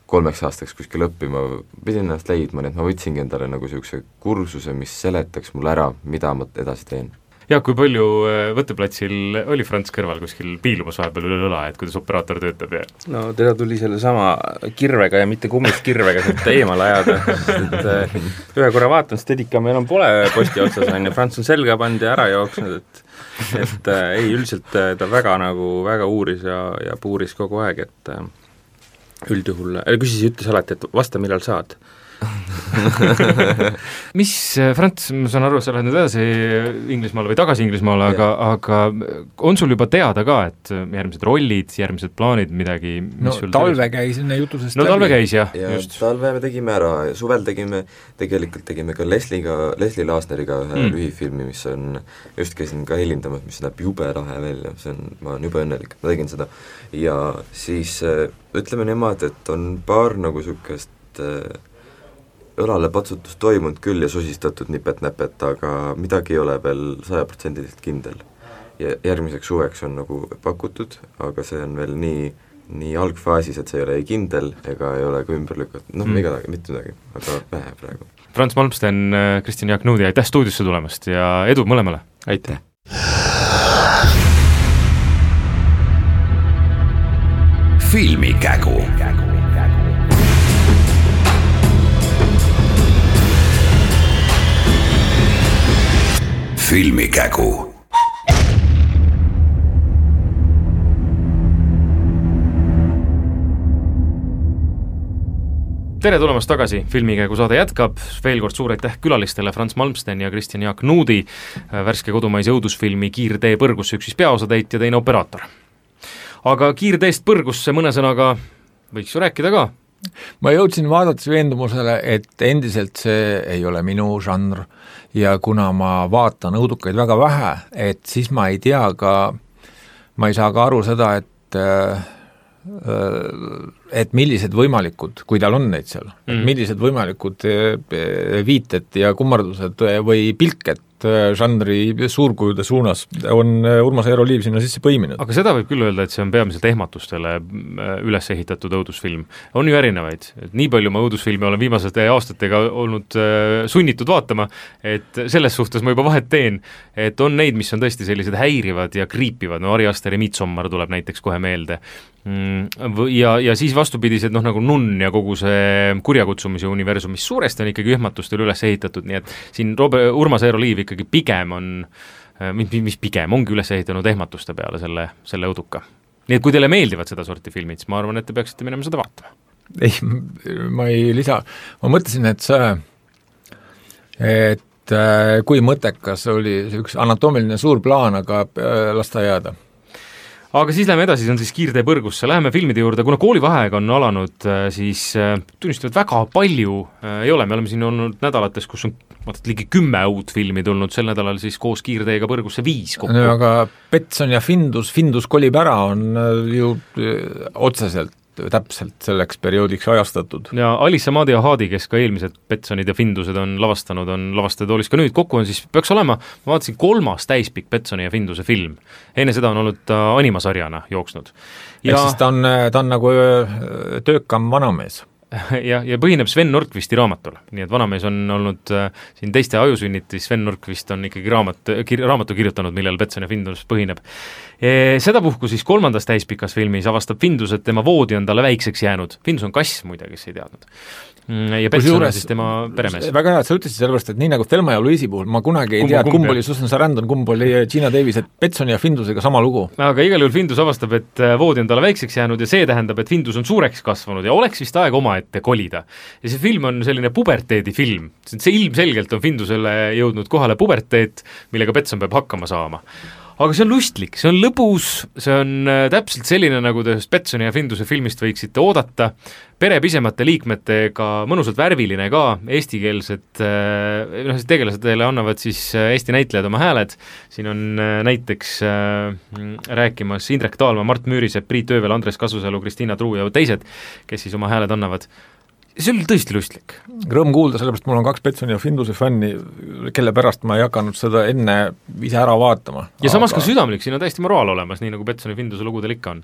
3 aastaks kuskil õppima, pidin ennast leidma, nii et ma võtsingi endale nagu niisuguse kursuse, mis seletaks mulle ära, mida ma edasi teen. Ja kui palju võtteplatsil oli Franz kõrval kuskil piilumas vahepeal üle õla, et kuidas operaator töötab? Ja? No teda tuli selle sama kirvega ja mitte kummist kirvega sealt eemale ajada, et ühe korra vaatan, Steadicam enam pole posti otsas, on ja Franz on selga pand ja ära jooksnud, et ei, üldiselt ta väga uuris ja puuris kogu aeg, et üldjuhul, ütles alati, et vasta, millal saad. Mis, Franz, ma saan aru, sa lähed nüüd edasi Inglismaale või tagasi Inglismaale, aga on sul juba teada ka, et järgmised rollid, järgmised plaanid, midagi, mis sul talve käis enne jutusest läbi. Talve käis, jah. Ja just. Talve me tegime ära, suvel tegelikult tegime ka Leslie Lasneriga ühe lühifilmi, mis on, just käisin ka helindamas, mis näeb jube lahe veel, ma olen juba õnnelik, ma tegin seda. Ja siis ütleme niimoodi, et on paar nagu niisugust õlale patsutust toimunud küll ja sosistatud nipet-näpet, aga midagi ei ole veel 100% kindel. Ja järgmiseks suveks on nagu pakutud, aga see on veel nii algfaasis, et see ei ole ei kindel ega ei ole ka ümber lükatud, mitte midagi, aga vähe praegu. Franz Malmsten, Kristjan Jaak Nõudi, aitäh stuudiosse tulemast ja edu mõlemale! Aitäh! Filmikägu. Filmikägu. Tere tulemast tagasi, Filmikägu saade jätkab, veel kord suur aitäh külalistele Franz Malmsten ja Kristjan Jaak Nõudi, värske kodumaise õudusfilmi Kiirtee põrgusse üks siis peaosatäitja, teine operaator. Aga Kiirteest põrgusse mõne sõnaga võiks ju rääkida ka. Ma jõudsin vaadates veendumusele, et endiselt see ei ole minu žanr ja kuna ma vaatan õudukaid väga vähe, et siis ma ei tea ka, ma ei saa ka aru seda, et millised võimalikud, kui tal on neid seal, millised võimalikud viited ja kummardused või pilked žanri suurkujude suunas on Urmas Eero Liiv sinna sisse põiminud. Aga seda võib küll öelda, et see on peamiselt ehmatustele üles ehitatud õudusfilm. On ju erinevaid. Nii palju ma õudusfilmi olen viimaste aastatega olnud sunnitud vaatama, et selles suhtes ma juba vahet teen, et on neid, mis on tõesti sellised häirivad ja kriipivad, no Ari Asteri Midsommar tuleb näiteks kohe meelde. Ja siis vastupidised, nagu Nunn ja kogu see kurjakutsumise universum, mis suuresti on ikkagi ehmatustel üles ehitatud, nii et siin Urmas Eero Liiv ikkagi pigem on, mis pigem ongi üles ehitanud ehmatuste peale selle õuduka. Nii et kui teile meeldivad seda sorti filmid, siis ma arvan, et te peaksite minema seda vaatama. Ei, ma ei lisa. Ma mõtlesin, et kui mõttekas oli see üks anatoomiline suur plaan, aga lasta jääda. Aga siis läheme edasi, see on siis kiirtee põrgusse, läheme filmide juurde, kuna koolivaheaeg on alanud, siis tunnistavad väga palju ei ole, me oleme siin olnud nädalates, kus on ligi 10 uut filmi tulnud, sel nädalal siis koos kiirteega põrgusse 5 kokku. No, aga Petson ja Findus kolib ära on ju otseselt täpselt selleks perioodiks ajastatud. Ja Alissa Maadi ja Haadi, kes ka eelmised Petsonid ja Findused on lavastanud, on lavastajatoolis ka nüüd kokku on siis, peaks olema, ma vaatasin 3. täispikk Petsoni ja Finduse film. Enne seda on olnud animasarjana jooksnud. Ja siis ta on nagu töökam vanamees. Ja põhineb Sven Nordqvisti raamatule, nii et vanamees on olnud siin teiste ajusünniti, Sven Nordqvist on ikkagi raamatu kirjutanud, millel Petson ja Findus põhineb. Sedapuhku siis 3. täispikas filmis avastab Findus, et tema voodi on talle väikseks jäänud. Findus on kass muide, kes ei teadnud. Ja Petson on siis tema peremees. Väga hea, et sa ütlesid sellepärast, et nii nagu Thelma ja Louise'i puhul, ma kunagi ei tea, et kumb oli Susan Sarandon, kumb oli Gina Davis, et Petson ja Findusega sama lugu. Aga igal juhul Findus avastab, et voodi on talle väikseks jäänud ja see tähendab, et Findus on suureks kasvanud ja oleks vist aeg omaette kolida. Ja see film on selline puberteedi film. See ilmselgelt on Findusele jõudnud kohale puberteet, millega Petson peab hakkama saama. Aga see on lustlik, see on lõbus, see on täpselt selline, nagu te Petsoni ja Finduse filmist võiksite oodata, pere pisemate liikmetega, mõnusalt värviline ka, eestikeelsed, tegelased annavad siis Eesti näitlejad oma hääled, siin on näiteks rääkimas Indrek Taalma, Mart Müürisepp, Priit Öövel, Andres Kasusalu, Kristiina Truu ja teised, kes siis oma hääled annavad. See oli tõesti lustlik. Rõõm kuulda, sellepärast mul on 2 Petsoni ja Finduse fänni, kelle pärast ma ei hakanud seda enne ise ära vaatama. Ja samas ka südamlik, siin on täiesti moraal olemas, nii nagu Petsoni ja Finduse lugudel ikka on.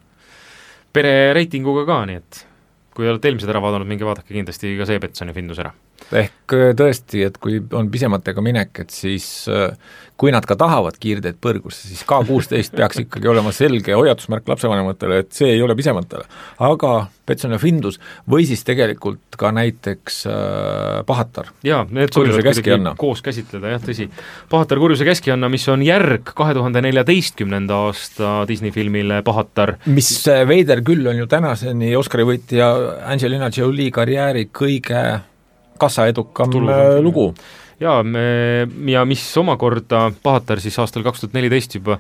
Pere reitinguga ka, nii et kui olete eelmised ära vaadanud, minge vaadake kindlasti ka see Petson ja Findus ära. Ehk tõesti, et kui on pisematega minek, et siis kui nad ka tahavad kiirteed põrgusse, siis K16 peaks ikkagi olema selge hoiatusmärk lapsevanematele, et see ei ole pisematele. Aga Petson ja Findus või siis tegelikult ka näiteks Pahatar. Jaa, need sobivad koos käsitleda, jah, tõsi. Pahatar kurjuse keskianna, mis on järg 2014. aasta Disney filmile Pahatar. Mis veider küll on ju tänaseni Oscari võitja Angelina Jolie karjääri kõige kassaedukam lugu. Ja mis omakorda Pahatar siis aastal 2014 juba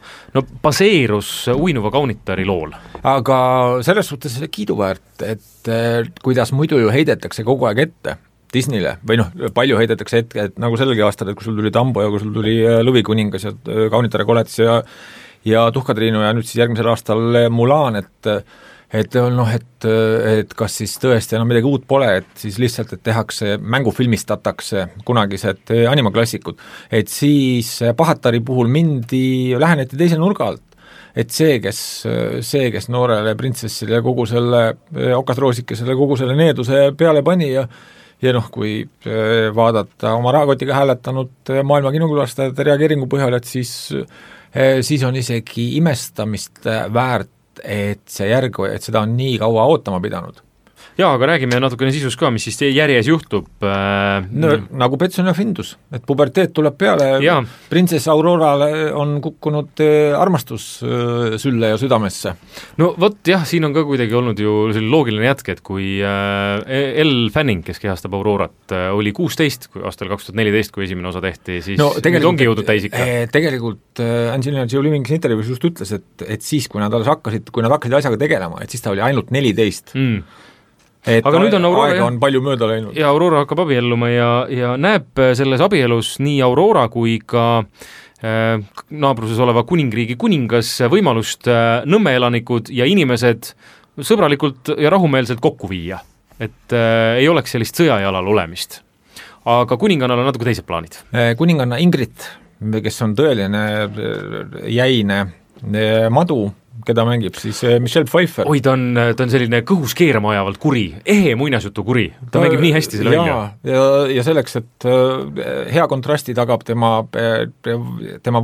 baseerus Uinuva kaunitari lool. Aga selles suhtes kiiduväärt, et kuidas muidu ju heidetakse kogu aeg ette Disneyle, või palju heidetakse ette, et nagu sellegi aastal, et kui sul tuli Tambo ja kui sul tuli Lõvikuningas ja kaunitare koletis ja Tuhkatriinu ja nüüd siis järgmisel aastal Mulan, et kas siis tõesti enam midagi uut pole, et siis lihtsalt, et tehakse, mängufilmistatakse kunagised animaklassikud, et siis Pahatari puhul läheneti teise nurga alt. Et see, kes noorele printsessile kogu selle okasroosikesele kogu selle needuse peale pani ja kui vaadata oma rahakotiga hääletanud maailma kinokülastajate reageeringu põhjal, et siis on isegi imestamist väärt, et see järg, et seda on nii kaua ootama pidanud. Jaa, aga räägime natukene sisus ka, mis siis järjes juhtub. Nagu Petson ja Findus, et puberteet tuleb peale, printsess Aurorale on kukkunud armastus sülle ja südamesse. No vot jah, siin on ka kuidagi olnud ju loogiline jätk, et kui Elle Fanning, kes kehastab Aurorat, oli 16 aastal 2014, kui esimene osa tehti, siis nüüd ongi jõudnud täisika. Tegelikult Angelina Jolie mingis intervjuus just ütles, et siis, kui nad hakkasid asjaga tegelema, et siis ta oli ainult 14. Et aga nüüd on Aurora, aega on palju mööda läinud. Ja Aurora hakkab abielluma ja näeb selles abielus nii Aurora kui ka naabruses oleva kuningriigi kuningas võimalust Nõmme elanikud ja inimesed sõbralikult ja rahumeelselt kokku viia. Et ei oleks sellist sõjajalal olemist. Aga kuningannal on natuke teised plaanid. Kuninganna Ingrid kes on tõeline jäine madu, keda mängib siis Michelle Pfeiffer. oi, ta on selline kõhus keerama ajavalt kuri, ehe muinasjutu kuri, ta mängib nii hästi selle välja. Ja selleks, et hea kontrasti tagab tema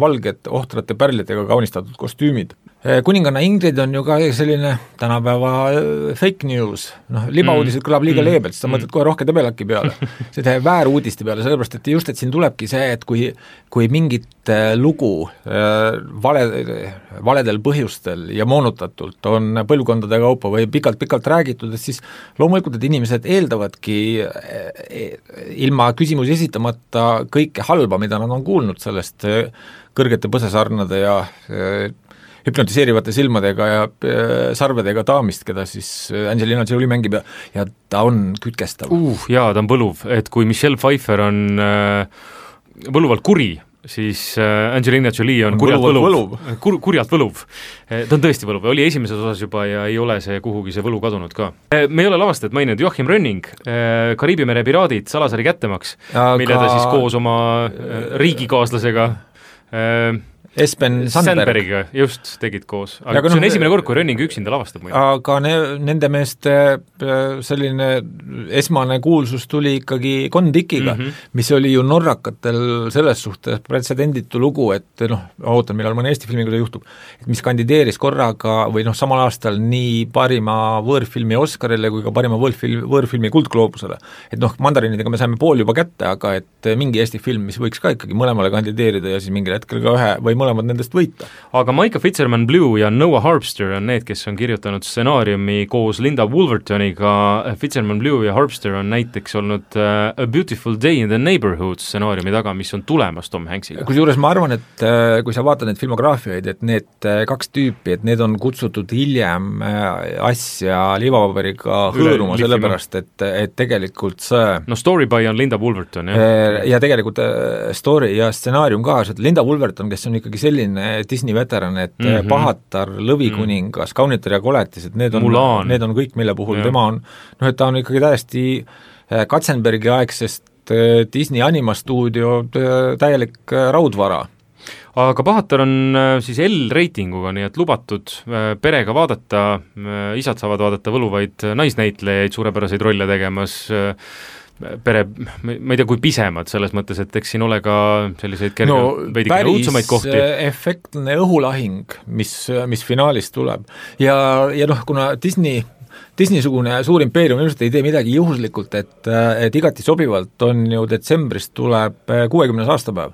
valged ohtrate pärlidega kaunistatud kostüümid. Kuninganna Ingrid on ju ka selline tänapäeva fake news, libauudised kõlab liiga leebelt, siis sa mõtled kohe rohke debelaki peale, seda vääruudiste peale, sellepärast et just, et siin tulebki see, et kui mingit lugu valedel põhjustel ja moonutatult on põlvkondade kaupa või pikalt räägitud, et siis loomulikult, et inimesed eeldavadki ilma küsimusi esitamata kõike halba, mida nad on kuulnud sellest kõrgete põsesarnade ja hüpnotiseerivate silmadega ja sarvedega daamist, keda siis Angelina Jolie mängib ja ta on kütkestav. Jaa, ta on võluv, et kui Michelle Pfeiffer on võluvalt kuri, siis Angelina Jolie on kurjalt võluv. Ta on tõesti võluv, oli esimeses osas juba ja ei ole see kuhugi see võlu kadunud ka. Me ei ole lavastajat maininud, Joachim Rönning, Kariibi mere piraadid, Salasari kättemaks, mille ta siis koos oma riigikaaslasega Espen Sandbergiga just tegid koos, aga see on esimene kord, kui Rönning üksinda lavastab muidu. Aga nende meeste selline esmane kuulsus tuli ikkagi Kon-Dickiga, mis oli ju norrakatel selles suhtes pretsedenditu lugu, et ootan, millal mõne Eesti filmiga see juhtub, et mis kandideeris korraga või samal aastal nii parima võõrfilmi Oscarile kui ka parima võõrfilmi Kuldgloobusele. Et mandarinidega me saime pool juba kätte, aga et mingi Eesti film, mis võiks ka ikkagi mõlemale kandideerida ja siis mingil hetkel ka ühe või mõlemad nendest võita. Aga Micah Fitzgerman Blue ja Noah Harpster on need, kes on kirjutanud stsenaariumi koos Linda Wolvertoniga. Fitzgerman Blue ja Harpster on näiteks olnud A Beautiful Day in the Neighborhood stsenaariumi taga, mis on tulemas Tom Hanksiga. Kusjuures ma arvan, et kui sa vaatad need filmograafiaid, et need kaks tüüpi, et need on kutsutud hiljem asja liivapaberiga hõõruma, sellepärast, et tegelikult see Story by on Linda Wolverton, ja tegelikult story ja stsenaarium ka, Linda Wolverton, kes on ikkagi selline Disney veteran, et Pahatar, Lõvikuningas, Kaunitar ja koletis, et need on kõik, mille puhul tema on, et ta on ikkagi täiesti Katzenbergi aegsest Disney animastuudio täielik raudvara. Aga Pahatar on siis L-reitinguga, nii et lubatud perega vaadata, isad saavad vaadata võluvaid naisnäitlejaid suurepäraseid rolle tegemas, pere, ma ei tea, kui pisemad selles mõttes, et eks siin ole ka selliseid veidikene õudsamaid kohti. Päris efektne õhulahing, mis finaalis tuleb. Ja kuna Disney-sugune suur impeerium ilmselt ei tee midagi juhuslikult, et igati sobivalt on ju detsembris tuleb 60. aastapäev.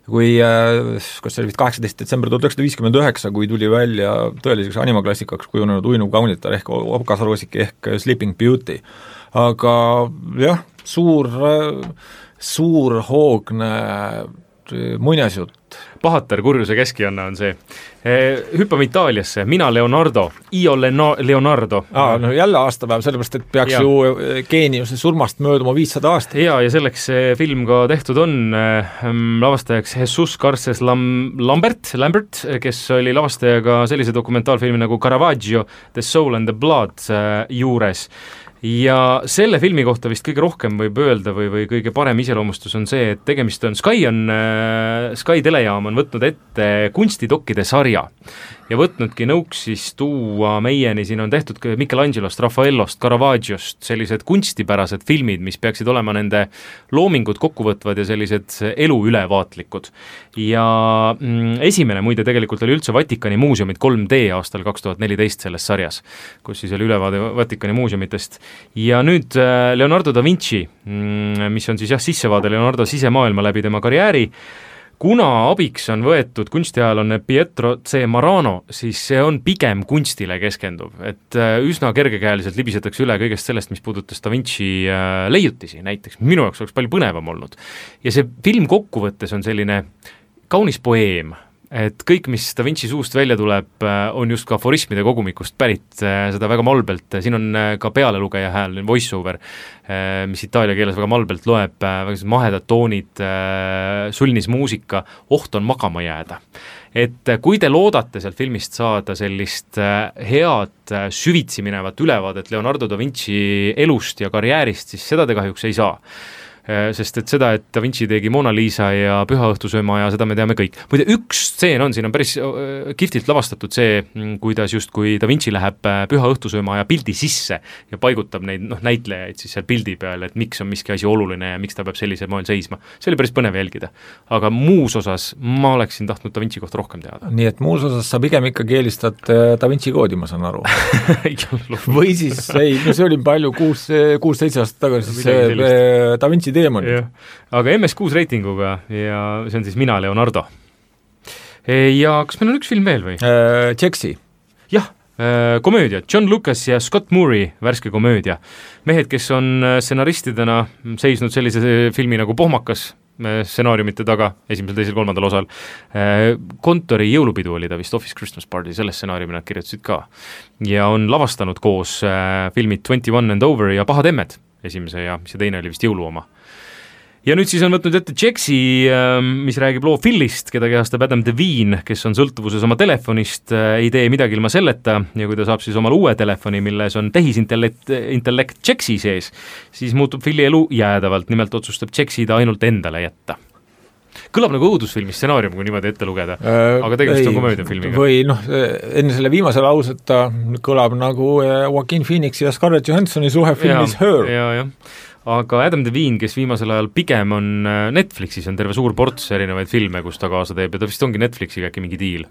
Kui, kas see oli vist 18. detsember 1959, kui tuli välja tõeliseks animaklassikaks kujunenud Uinuv kaunitar ehk Okasroosik ehk Sleeping Beauty. Aga jah, suur hoogne muinasjutt. Pahatar kurjuse keskianna on see. Hüppame Itaaliasse, mina Leonardo, io Leonardo. Jälle aastapäev, sellepärast, et peaks ju geeniuse surmast mööduma 500 aastat. Ja selleks see film ka tehtud on, lavastajaks Jesus Garces Lambert, kes oli lavastajaga sellise dokumentaalfilmi nagu Caravaggio, The Soul and the Blood juures. Ja selle filmi kohta vist kõige rohkem võib öelda või kõige parem iseloomustus on see, et tegemist on Sky telejaam on võtnud ette kunstidokkide sarja ja võtnudki nõuks siis tuua meieni, siin on tehtud Michelangelost, Raffaellost, Caravaggios sellised kunstipärased filmid, mis peaksid olema nende loomingud kokkuvõtvad ja sellised elu ülevaatlikud. Ja esimene muide tegelikult oli üldse Vatikani muuseumid 3D aastal 2014 selles sarjas, kus siis oli ülevaade Vatikani muuseumitest. Ja nüüd Leonardo da Vinci, mis on siis sissevaade Leonardo sisemaailma läbi tema karjääri, kuna abiks on võetud kunstiajalane Pietro C. Marano, siis see on pigem kunstile keskenduv, et üsna kergekäeliselt libisetakse üle kõigest sellest, mis puudutas Da Vinci leiutisi näiteks, minu jaoks oleks palju põnevam olnud. Ja see film kokkuvõttes on selline kaunis poeem, et kõik, mis Da Vinci suust välja tuleb, on just ka aforismide kogumikust pärit, seda väga malbelt, siin on ka pealelugeja hääl, voice-over, mis itaalia keeles väga malbelt loeb, väga mahedad toonid, sulnis muusika, oht on magama jääda. Et kui te loodate sealt filmist saada sellist head süvitsi minevat ülevaadet Leonardo da Vinci elust ja karjäärist, siis seda te kahjuks ei saa. sest et seda, et Da Vinci tegi Mona Lisa ja Püha õhtusööma ja seda me teame kõik. Muide, üks stseen on, siin on päris kihvtilt lavastatud see, kuidas justkui Da Vinci läheb Püha õhtusööma ja pildi sisse ja paigutab neid näitlejaid siis seal pildi peal, et miks on miski asi oluline ja miks ta peab sellisel moel seisma. See oli päris põnev jälgida. Aga muus osas ma oleksin tahtnud Da Vinci kohta rohkem teada. Nii et muus osas sa pigem ikkagi eelistad Da Vinci koodi, ma saan aru. Või siis, see oli palju 6-7 aastat tagasi, see Da Vinci teemonid. Aga MS6 reitinguga ja see on siis Mina, Leonardo. Ja kas meil on üks film veel või? Jaxi. Jah, komöödia, John Lucas ja Scott Murray, värske komöödia. Mehed, kes on stsenaristidena seisnud sellise filmi nagu Pohmakas, stsenaariumite taga, esimesel, teisel, kolmandal osal. Kontori jõulupidu oli ta vist, Office Christmas Party, selle stsenaariumi nad kirjutasid ka. Ja on lavastanud koos filmid 21 and Over ja Pahad emmed, esimese ja see teine oli vist jõulu oma. Ja nüüd siis on võtnud ette Jaxi, mis räägib loo Philist, keda kehastab Adam Devine, kes on sõltuvuses oma telefonist, ei tee midagi ilma selleta ja kui ta saab siis omal uue telefoni, milles on tehisintellekt Jaxi sees, siis muutub Phili elu jäädavalt, nimelt otsustab Jaxi ta ainult endale jätta. Kõlab nagu õudusfilmi stsenaarium, kui niimoodi ette lugeda, aga tegelikult on komöödiafilmiga. Või enne selle viimase lauseta kõlab nagu Joaquin Phoenix ja Scarlett Johanssoni suhe filmis Her. Jah. Aga Adam Devine, kes viimasel ajal pigem on Netflixis, on terve suur ports erinevaid filme, kus ta kaasa teeb ja ta vist ongi Netflixiga äkki mingi diil.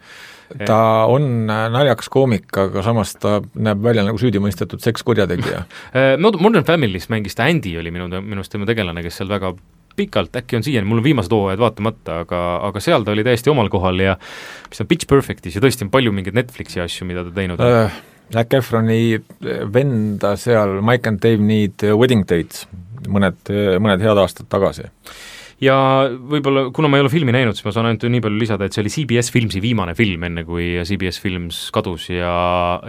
Ta on naljakas koomik, aga samas ta näeb välja nagu süüdimõistetud sekskurjategija. Modern Family's mängis ta Andy, oli minust tema tegelane, kes seal väga pikalt, äkki on siiani, mul on viimased hooajad vaatamata, aga seal ta oli täiesti omal kohal ja mis on Pitch Perfectis ja tõesti on palju mingeid Netflixi asju, mida ta teinud on. Zac Efroni venda seal Mike and Dave Need Wedding Dates mõned head aastad tagasi. Ja võib-olla, kuna ma ei ole filmi näinud, siis ma saan ainult nii palju lisada, et see oli CBS Filmsi viimane film, enne kui CBS Films kadus ja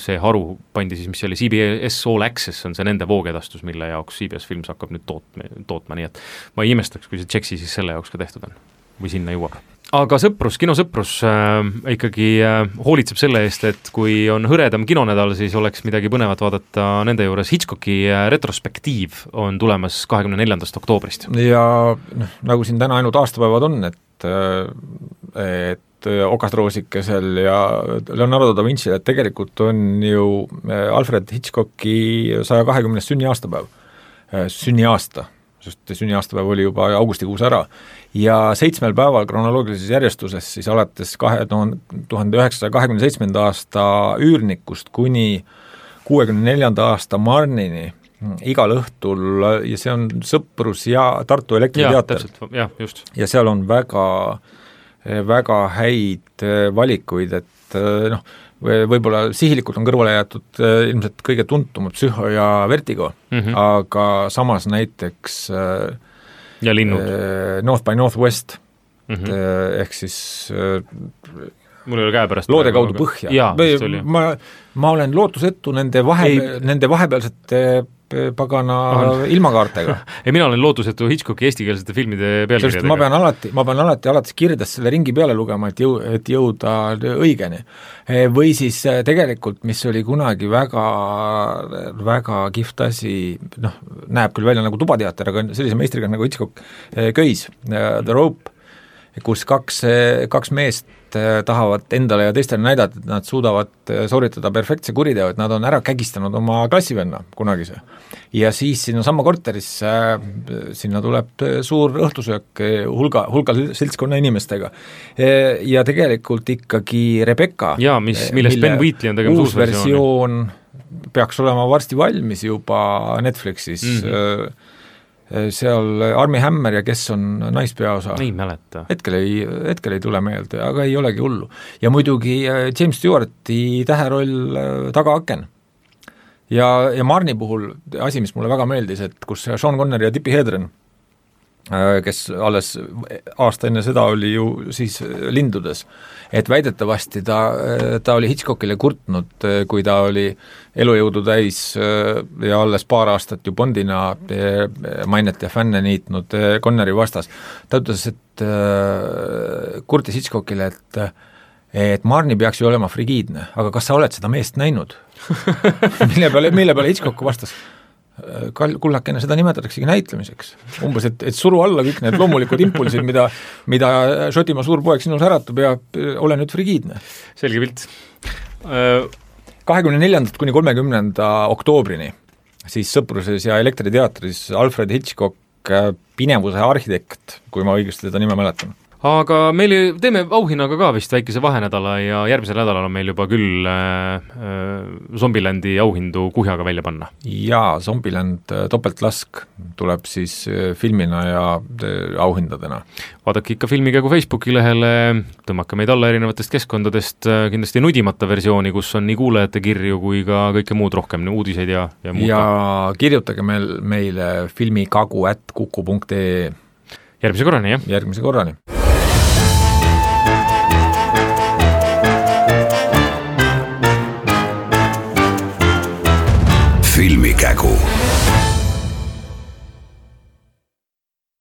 see haru pandi siis, mis oli CBS All Access, on see nende voogedastus, mille jaoks CBS Films hakkab nüüd tootma, nii et ma ei imestaks, kui see Jaxi siis selle jaoks ka tehtud on või sinna jõuab. Aga kinosõprus ikkagi hoolitseb selle eest, et kui on hõredam kinonädal, siis oleks midagi põnevat vaadata nende juures. Hitchcocki retrospektiiv on tulemas 24. oktoobrist. Ja nagu siin täna ainult aastapäevad on, et Okasroosikesel ja Leonardo da Vinci, et tegelikult on ju Alfred Hitchcocki 120. sünniaasta, sest sünniaastapäev oli juba augustikuus ära ja 7 päeval kronoloogilises järjestuses siis alates 1927. aasta Üürnikust kuni 64. aasta Marnini igal õhtul ja see on Sõprus ja Tartu Elektriteater. Ja, just. Ja seal on väga häid valikuid, et võib-olla sihilikult on kõrvale jäetud ilmselt kõige tuntumad Psühho ja Vertigo, aga samas näiteks ja linnud. North by Northwest, ehk siis mul ei ole käe pärast loode kaudu põhja. Ma olen lootusetu nende vahepealsete pagana ilmakaartega. Ei, mina olen lootusetu Hitchcocki eestikeelsete filmide pealkirjadega. Ma pean alati alates kirjadest selle ringi peale lugema, et jõuda õigeni. Või siis tegelikult, mis oli kunagi väga kihvt asi, näeb küll välja nagu tubateater, aga sellise meistriga nagu Hitchcock köis, The Rope, kus kaks meest tahavad endale ja teistele näidata, et nad suudavad sooritada perfektse kuriteo, et nad on ära kägistanud oma klassivenna kunagise. Ja siis sinna samma korterisse, sinna tuleb suur õhtusöök hulga seltskonna inimestega. Ja tegelikult ikkagi Rebecca, millest Ben Wheatley on tegema uus versioon peaks olema varsti valmis juba Netflixis, seal Armie Hammer ja kes on naispeaosa. Ei mäleta. Hetkel ei tule meelde, aga ei olegi hullu. Ja muidugi James Stewarti täheroll Tagaaken. Ja Marni puhul asi, mis mulle väga meeldis, et kus Sean Connery ja Tippi Hedren, kes alles aasta enne seda oli ju siis lindudes, et väidetavasti ta oli Hitchcockile kurtnud, kui ta oli elujõudu täis ja alles paar aastat ju Bondina mainet ja fänne niitnud Connery vastas. Ta ütles, et kurtis Hitchcockile, et Marni peaks ju olema frigiidne, aga kas sa oled seda meest näinud? mille peale Hitchcock vastas? kullakene, seda nimetataksegi näitlemiseks. Umbes, et suru alla kõik need loomulikud impulsid, mida Šotimaa suurpoeg sinus äratab ja ole nüüd frigiidne. Selge pilt. 24. kuni 30. oktoobrini siis Sõpruses ja Elektriteatris Alfred Hitchcock Pinevuse arhitekt, kui ma õigesti seda nime mäletan. Aga meil teeme auhinnaga ka vist väikese vahenädala ja järgmisel nädalal on meil juba küll Zombieland'i auhindu kuhjaga välja panna. Jaa, Zombieland topeltlask tuleb siis filmina ja auhindadena. Vaadake ikka filmikägu Facebooki lehele, tõmmake meid alla erinevatest keskkondadest, kindlasti nudimata versiooni, kus on nii kuulajate kirju kui ka kõike muud rohkem, uudiseid ja muud. Ja kirjutage meile filmikagu@kuku.ee. Järgmise korrani, jah? Järgmise korrani. Filmikägu.